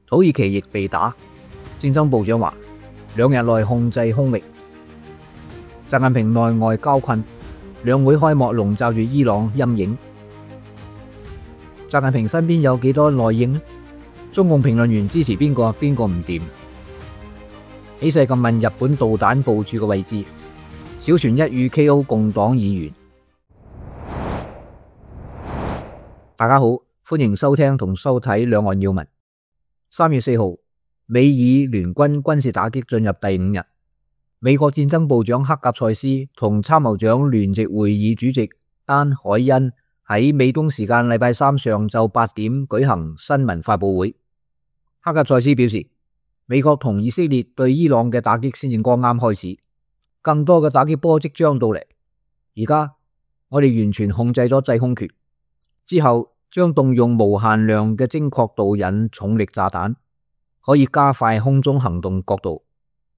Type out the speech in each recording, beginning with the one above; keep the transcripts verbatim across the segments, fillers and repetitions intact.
土耳其亦被打。戰爭部長話兩日內控制空域。習近平內外交困，兩會開幕籠罩住伊朗陰影。習近平身邊有幾多內應呢？中共評論員支持邊個，邊個唔掂？起勢咁問日本導彈部署嘅位置，小泉一語 K O 共黨議員。大家好，歡迎收聽同收睇兩岸要聞。三月四號，美以聯軍軍事打擊進入第五日。美國戰爭部長克格塞斯同參謀長聯席會議主席丹海恩喺美東時間禮拜三上晝八點舉行新聞發佈會。克格塞斯表示，美國同以色列對伊朗嘅打擊先至剛啱開始，更多嘅打擊波即將到嚟。而家我哋完全控制咗制空權，之後將動用無限量嘅精確導引重力炸彈，可以加快空中行動角度。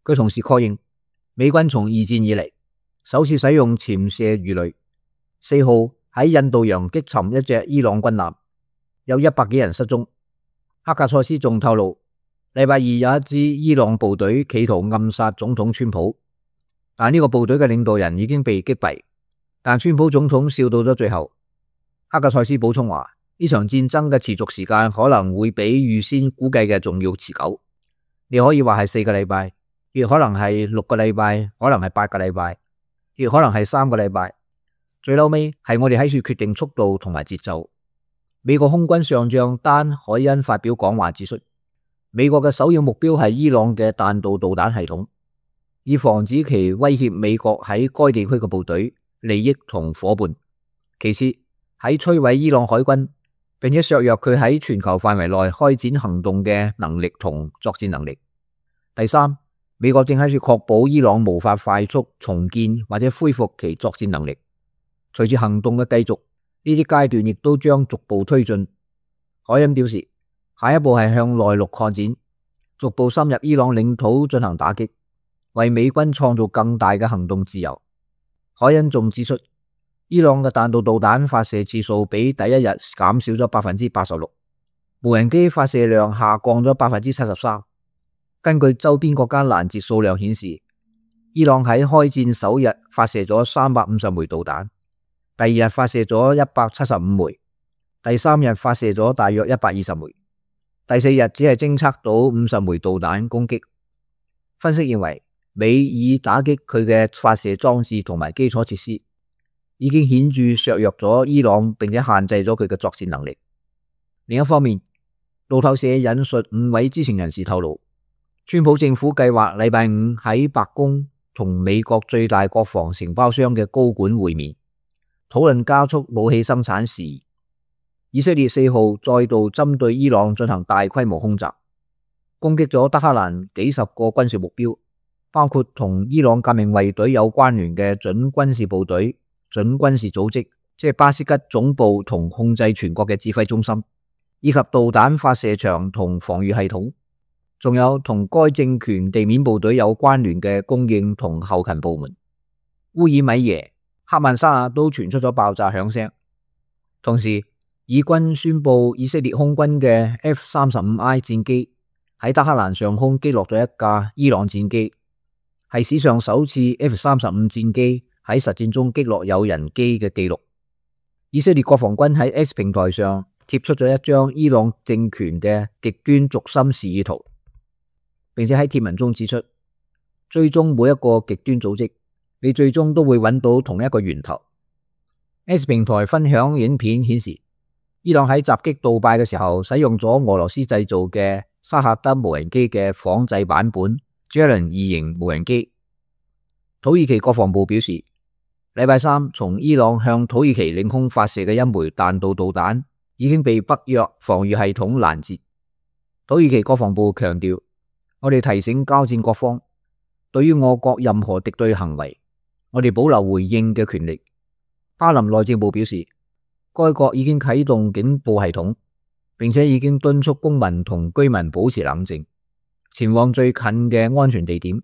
佢同時確認，美軍從二戰以嚟首次使用潛射魚雷。四號喺印度洋擊沉一隻伊朗軍艦，有一百幾人失蹤。克格塞斯仲透露，禮拜二有一支伊朗部隊企圖暗殺總統川普，但呢個部隊嘅領導人已經被擊斃，但川普總統笑到咗最後。克格塞斯補充話，呢場戰爭嘅持續時間可能會比預先估計嘅仲要持久。你可以話係四個禮拜，亦可能係六個禮拜，可能係八個禮拜，亦可能係三個禮拜。最後尾係我哋喺處決定速度同埋節奏。美國空軍上將丹海恩發表講話指出，美國嘅首要目標係伊朗嘅彈道導彈系統，以防止其威脅美國喺該地區嘅部隊、利益同夥伴。其次喺摧毀伊朗海軍，並且削弱佢喺全球範圍內開展行動嘅能力同作戰能力。第三，美國正喺處確保伊朗無法快速重建或者恢復其作戰能力。隨住行動嘅繼續，呢啲階段亦都將逐步推進。海恩表示，下一步係向內陸擴展，逐步深入伊朗領土進行打擊，為美軍創造更大嘅行動自由。海恩仲指出，伊朗嘅彈道導彈發射次數比第一日減少咗百分之八十六，無人機發射量下降咗百分之七十三。根據周邊國家攔截數量顯示，伊朗喺開戰首日發射咗三百五十枚導彈，第二日發射咗一百七十五枚，第三日發射咗大約一百二十枚，第四日只係偵測到五十枚導彈攻擊。分析認為，美以打擊佢嘅發射裝置同埋基礎設施，已經顯著削弱咗伊朗，並且限制咗佢嘅作戰能力。另一方面，路透社引述五位知情人士透露，川普政府計劃禮拜五喺白宮同美國最大國防承包商嘅高管會面，討論加速武器生產事宜。以色列四號再度針對伊朗進行大規模空襲，攻擊咗德黑蘭幾十個軍事目標，包括同伊朗革命衛隊有關聯嘅準軍事部隊、準軍事組織，即係巴斯吉總部同控制全國嘅指揮中心，以及導彈發射場同防禦系統。仲有同該政權地面部隊有關聯嘅供應同後勤部門。烏爾米耶、克曼沙亞都傳出咗爆炸響聲。同時，以軍宣布以色列空軍嘅 F 三十五 I 戰機喺德黑蘭上空擊落咗一架伊朗戰機，係史上首次 F 三十五 戰機喺實戰中擊落有人機嘅記錄。以色列國防軍喺 X 平台上貼出咗一張伊朗政權嘅極端軸心示意圖，並且喺貼文中指出，追蹤每一個極端組織，你最終都會揾到同一個源頭。X 平台分享影片顯示，伊朗喺襲擊杜拜嘅時候，使用咗俄羅斯製造嘅沙赫德無人機嘅仿製版本 Javelin 二型無人機。土耳其國防部表示，禮拜三從伊朗向土耳其領空發射嘅一枚彈道導彈已經被北約防禦系統攔截。土耳其國防部強調，我哋提醒交戰各方，對於我國任何敵對行為，我哋保留回應嘅權力。巴林內政部表示，該國已經啟動警報系統，並且已經敦促公民同居民保持冷靜，前往最近嘅安全地點。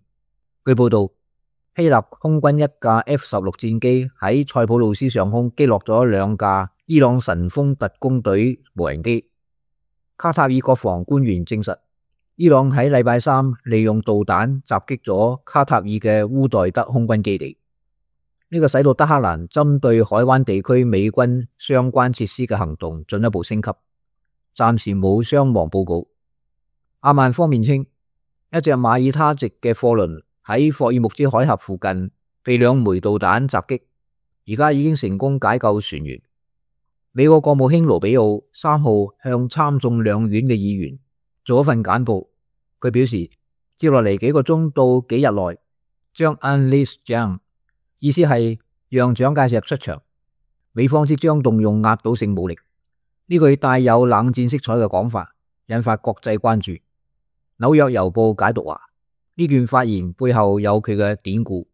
據報道，希臘空軍一架 F 十六 戰機喺塞浦路斯上空擊落咗兩架伊朗神風特工隊無人機。卡塔爾國防官員證實，伊朗喺禮拜三利用導彈襲擊咗卡塔爾嘅烏代德空軍基地，呢個使到德黑蘭針對海灣地區美軍相關設施嘅行動進一步升級，暫時冇傷亡報告。阿曼方面稱，一隻馬耳他籍嘅貨輪喺霍爾木茲海峽附近被兩枚導彈襲擊，而家已經成功解救船員。美國國務卿盧比奧三號向參眾兩院嘅議員做一份簡報，佢表示接落嚟幾個鐘到幾日內將 unleash Jiang， 意思係讓蔣介石出場，美方即將動用壓倒性武力。呢句帶有冷戰色彩嘅講法引發國際關注。紐約郵報解讀話，呢段發言背後有佢嘅典故。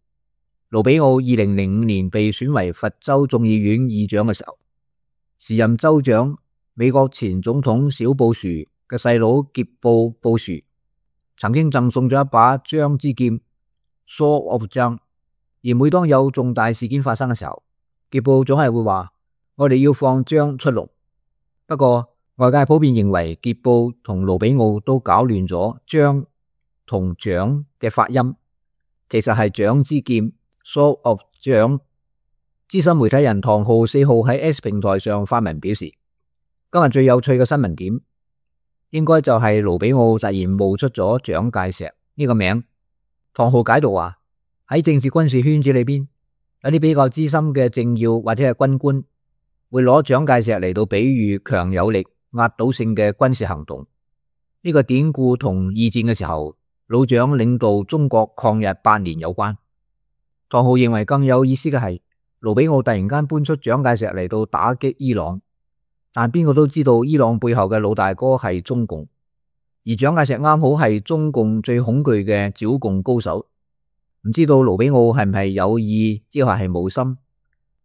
盧比奧二零零五年被選為佛州眾議院議長嘅時候，時任州長美國前總統小布殊嘅細佬傑布布殊曾經贈送咗一把張之劍 Sword of Jiang， 而每當有重大事件發生嘅時候，傑布總係會話我哋要放張出籠。不過外界普遍認為傑布同盧比奧都搞亂咗張同蔣嘅發音，其實係蔣之劍 Sword of Jiang。資深媒體人唐浩四號喺 S 平台上發文表示，今日最有趣嘅新聞點應該就係盧比奧突然冒出咗蔣介石呢個名。唐浩解讀話，喺政治軍事圈子裏邊，有啲比較資深嘅政要或者係軍官會攞蔣介石嚟到比喻強有力壓倒性嘅軍事行動。呢個典故同二戰嘅時候老蔣領導中國抗日八年有關。唐浩認為更有意思嘅係，盧比奧突然間搬出蔣介石嚟到打擊伊朗，但邊個都知道伊朗背後嘅老大哥係中共，而蔣介石啱好係中共最恐懼嘅剿共高手。唔知道盧比奧係唔係有意，抑或係冇心，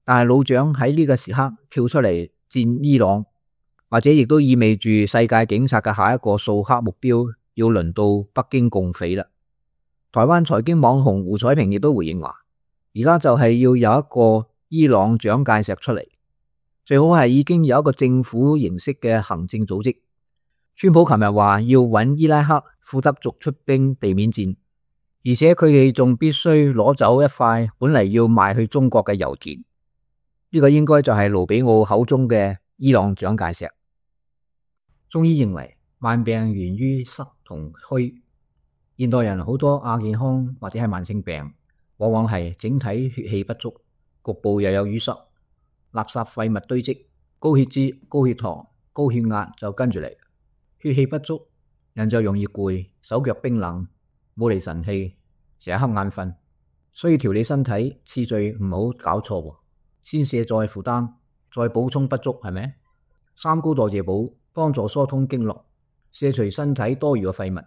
但係老蔣喺呢個時刻跳出嚟戰伊朗，或者亦都意味住世界警察嘅下一個掃黑目標要輪到北京共匪啦。台灣財經網紅胡彩平亦都回應話，而家就係要有一個伊朗蔣介石出嚟，最好係已經有一個政府形式嘅行政組織。川普琴日話要搵伊拉克庫德族出兵地面戰，而且佢哋仲必須攞走一塊本嚟要賣去中國嘅油田。呢、這個應該就係盧比奧口中嘅伊朗蔣介石。中醫認為萬病源於濕同虛，現代人好多亞健康或者係慢性病，往往係整體血氣不足，局部又有淤塞，垃圾廢物堆積，高血脂、高血糖、高血壓就跟住嚟。血氣不足，人就容易攰，手腳冰冷，冇嚟神氣，成日瞌眼瞓。所以調理身體次序唔好搞錯，先卸再負擔，再補充不足，係咪？三高代謝補幫助疏通經絡，卸除身體多餘嘅廢物，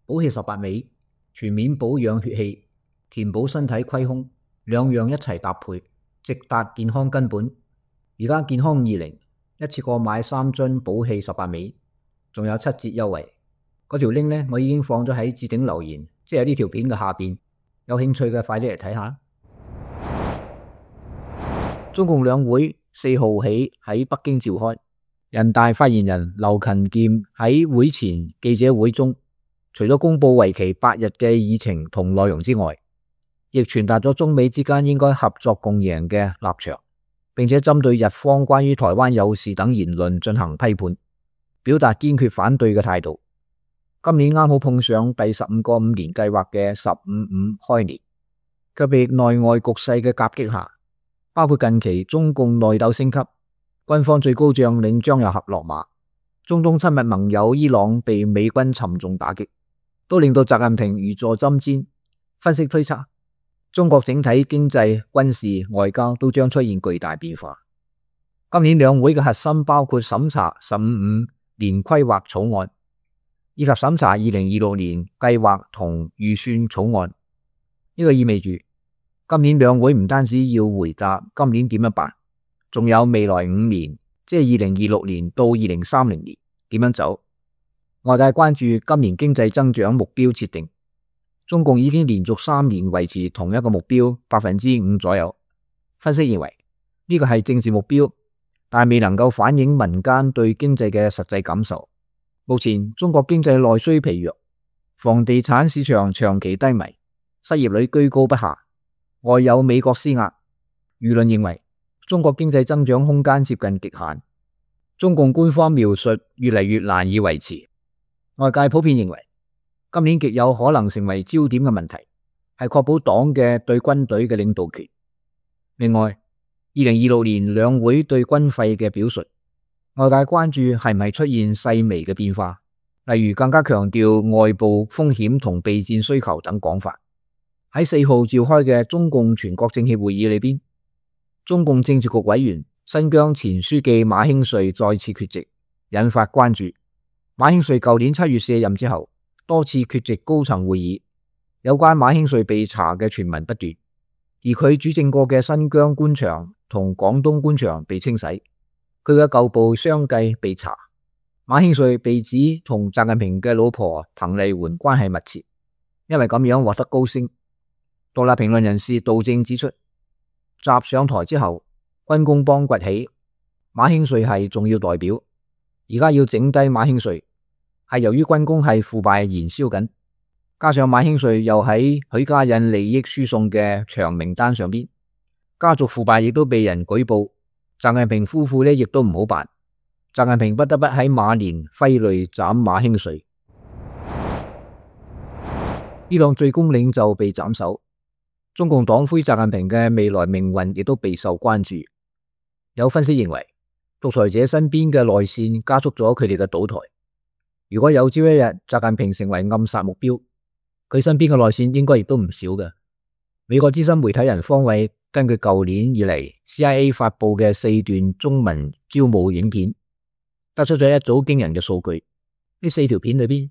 補氣十八味，全面保養血氣，填補身體虧空，兩樣一齊搭配，直達健康根本。而家健康二零一次過買三樽補氣十八味，仲有七折優惠。嗰條 link 呢，我已經放咗喺置頂留言，即係呢條片嘅下邊。有興趣嘅快啲嚟睇下。中共兩會四號起喺北京召開，人大發言人劉勤儉喺會前記者會中，除咗公布為期八日嘅議程同內容之外，亦傳達咗中美之間應該合作共贏嘅立場，並且針對日方關於台灣有事等言論進行批判，表達堅決反對嘅態度。今年啱好碰上第十五個五年計劃嘅十五五開年，卻被內外局勢嘅夾擊下，包括近期中共內鬥升級，軍方最高將領張又俠落馬，中東親密盟友伊朗被美軍沉重打擊，都令到習近平如坐針氈。分析推測，中國整體經濟、軍事、外交都將出現巨大變化。今年兩會嘅核心包括審查十五五年規劃草案，以及審查二零二六年計劃同預算草案。呢個意味住今年兩會唔單止要回答今年點樣辦，仲有未來五年，即係二零二六年到二零三零年點樣走。外界關注今年經濟增長目標設定，中共已經連續三年維持同一個目標百分之五左右。分析認為呢個係政治目標，但未能夠反映民間對經濟嘅實際感受。目前中國經濟內需疲弱，房地產市場長期低迷，失業率居高不下，外有美國施壓，輿論認為中國經濟增長空間接近極限，中共官方描述越嚟越難以維持。外界普遍認為今年極有可能成為焦點嘅問題係確保黨嘅對軍隊嘅領導權。另外，二零二六年兩會對軍費嘅表述，外界關注係唔係出現細微嘅變化，例如更加強調外部風險同備戰需求等講法。喺四號召開嘅中共全國政協會議裏邊，中共政治局委員新疆前書記馬興瑞再次缺席，引發關注。馬興瑞舊年七月卸任之後，多次缺席高層會議，有關馬興瑞被查嘅傳聞不斷，而佢主政過嘅新疆官場同廣東官場被清洗，佢嘅舊部相繼被查。馬興瑞被指同習近平嘅老婆彭麗媛關係密切，因為咁樣獲得高升。獨立評論人士杜正指出，習上台之後，軍工幫崛起，馬興瑞係重要代表，而家要整低馬興瑞，係由於軍工係腐敗燃燒緊，加上馬興瑞又喺許家印利益輸送嘅長名單上邊，家族腐敗亦都被人舉報。習近平夫婦呢亦都唔好辦，習近平不得不喺馬年揮淚斬馬興瑞。伊朗最高領袖被斬首，中共黨魁習近平嘅未來命運亦都備受關注。有分析認為，獨裁者身邊嘅內線加速咗佢哋嘅倒台。如果有朝一日習近平成為暗殺目標，佢身邊嘅內線應該亦都唔少嘅。美國資深媒體人方偉根據舊年以嚟 C I A 發佈嘅四段中文招募影片，得出咗一組驚人嘅數據。呢四條片裏邊，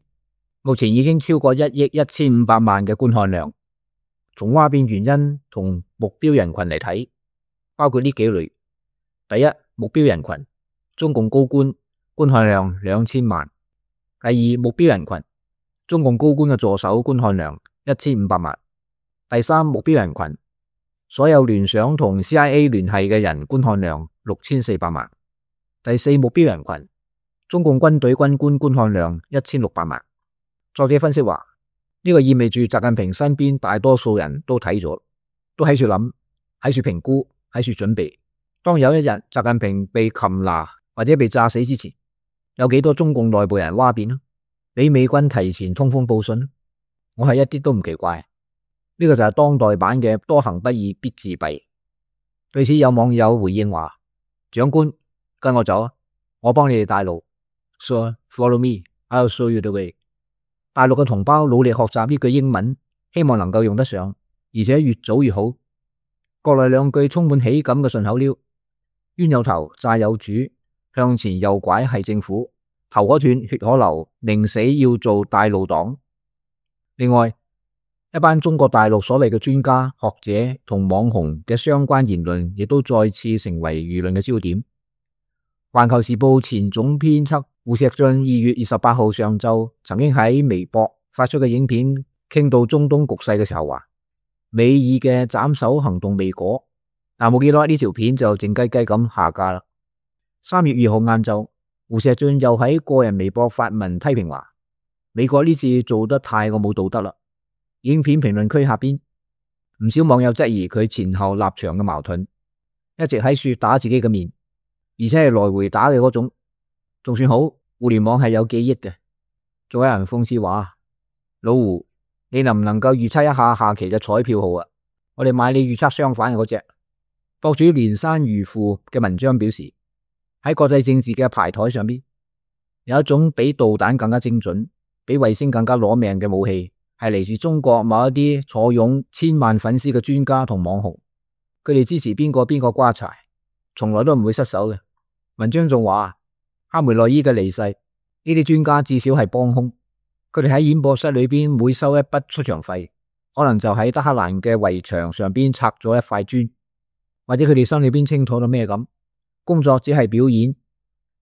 目前已經超過一億一千五百萬嘅觀看量。從嘩變原因同目標人群嚟睇，包括呢幾類：第一，目標人群中共高官，觀看量兩千萬；第二，目標人群中共高官嘅助手，觀看量一千五百萬；第三，目標人群所有聯想同 C I A 聯繫嘅人，觀看量六千四百萬；第四，目標人群中共軍隊軍官，觀看量一千六百萬。作者分析話，呢個意味住習近平身邊大多數人都睇咗，都喺處諗，喺處評估，喺處準備。當有一日習近平被擒拿或者被炸死之前，有幾多中共內部人嘩變啊？俾美軍提前通風報信，我係一啲都唔奇怪。呢個就係當代版嘅多行不義必自斃。對此有網友回應話：長官，跟我走，我幫你哋帶路。So follow me, I'll show you the way。大陸嘅同胞努力學習呢句英文，希望能夠用得上，而且越早越好。國內兩句充滿喜感嘅順口溜：冤有頭，債有主，向前右拐係政府，頭可斷，血可流，寧死要做帶路黨。另外，一班中國大陸所謂嘅專家學者同網紅嘅相關言論，亦都再次成為輿論嘅焦點。環球時報前總編輯胡錫進二月二十八號上晝曾經喺微博發出嘅影片，傾到中東局勢嘅時候話，美爾嘅斬首行動未果，但冇幾耐呢條片就靜雞雞咁下架啦。三月二號晏晝，胡錫進又喺個人微博發文批評話，美國呢次做得太過冇道德啦。影片評論區下邊唔少網友質疑佢前後立場嘅矛盾，一直喺處打自己嘅面，而且係來回打嘅嗰種，仲算好，互聯網係有記憶嘅。仲有人諷刺話，老胡，你能唔能夠預測一下下期嘅彩票號啊？我哋買你預測相反嘅嗰隻。博主連山如父嘅文章表示，喺國際政治嘅牌台上邊，有一種比導彈更加精準，比衛星更加攞命嘅武器，係嚟自中國某一啲坐擁千萬粉絲嘅專家同網紅，佢哋支持邊個邊個瓜柴，從來都唔會失手嘅。文章仲話，哈梅內伊嘅離世，呢啲專家至少係幫兇，佢哋喺演播室裏邊每收一筆出場費，可能就喺德黑蘭嘅圍牆上邊拆咗一塊磚，或者佢哋心裏邊清楚到咩咁，工作只係表演。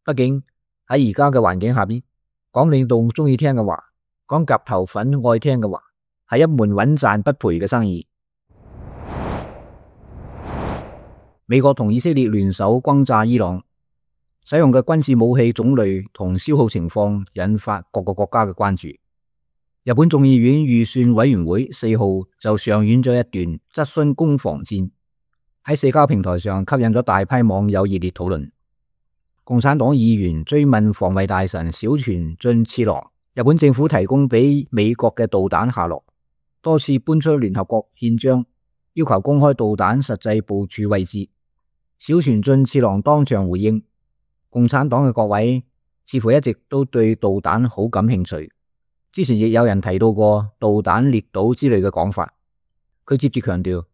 畢竟喺而家嘅環境下邊，講領導中意聽嘅話，講夾頭粉愛聽嘅話，係一門穩賺不賠嘅生意。美國同以色列聯手轟炸伊朗，使用嘅軍事武器種類同消耗情況引發各個國家嘅關注。日本眾議院預算委員會四號就上演咗一段質詢攻防戰，喺社交平台上吸引咗大批網友熱烈討論。共產黨議員追問防衛大臣小泉進次郎，日本政府提供俾美國嘅導彈下落，多次搬出聯合國憲章，要求公開導彈實際部署位置。小泉進次郎當場回應，共產黨嘅各位似乎一直都對導彈好感興趣，之前亦有人提到過導彈列島之類嘅講法。佢接住強調，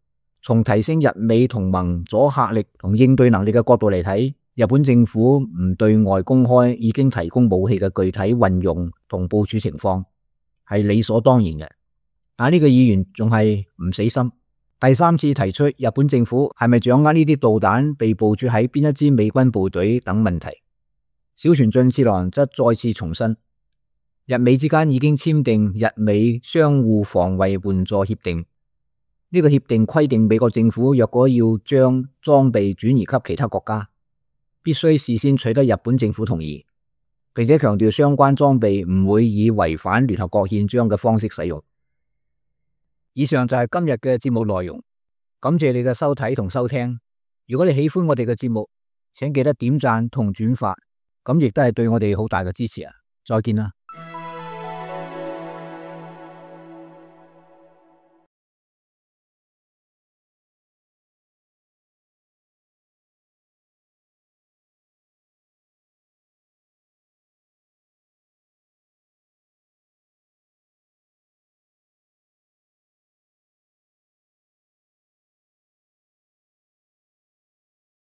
從提升日美同盟阻嚇力同應對能力嘅角度嚟睇，日本政府唔對外公開已經提供武器嘅具體運用同部署情況係理所當然嘅。但呢個議員仲係唔死心，第三次提出日本政府係咪掌握呢啲導彈被部署喺邊一支美軍部隊等問題。小泉進次郎則再次重申，日美之間已經簽訂日美相互防衛援助協定，呢個協定規定美國政府若果要將裝備轉移給其他國家，必須事先取得日本政府同意，並且強調相關裝備唔會以違反聯合國憲章嘅方式使用。以上就係今日嘅節目內容，感謝你嘅收睇同收聽。如果你喜歡我哋嘅節目，請記得點讚同轉發，咁亦都係對我哋好大嘅支持啊！再見啦。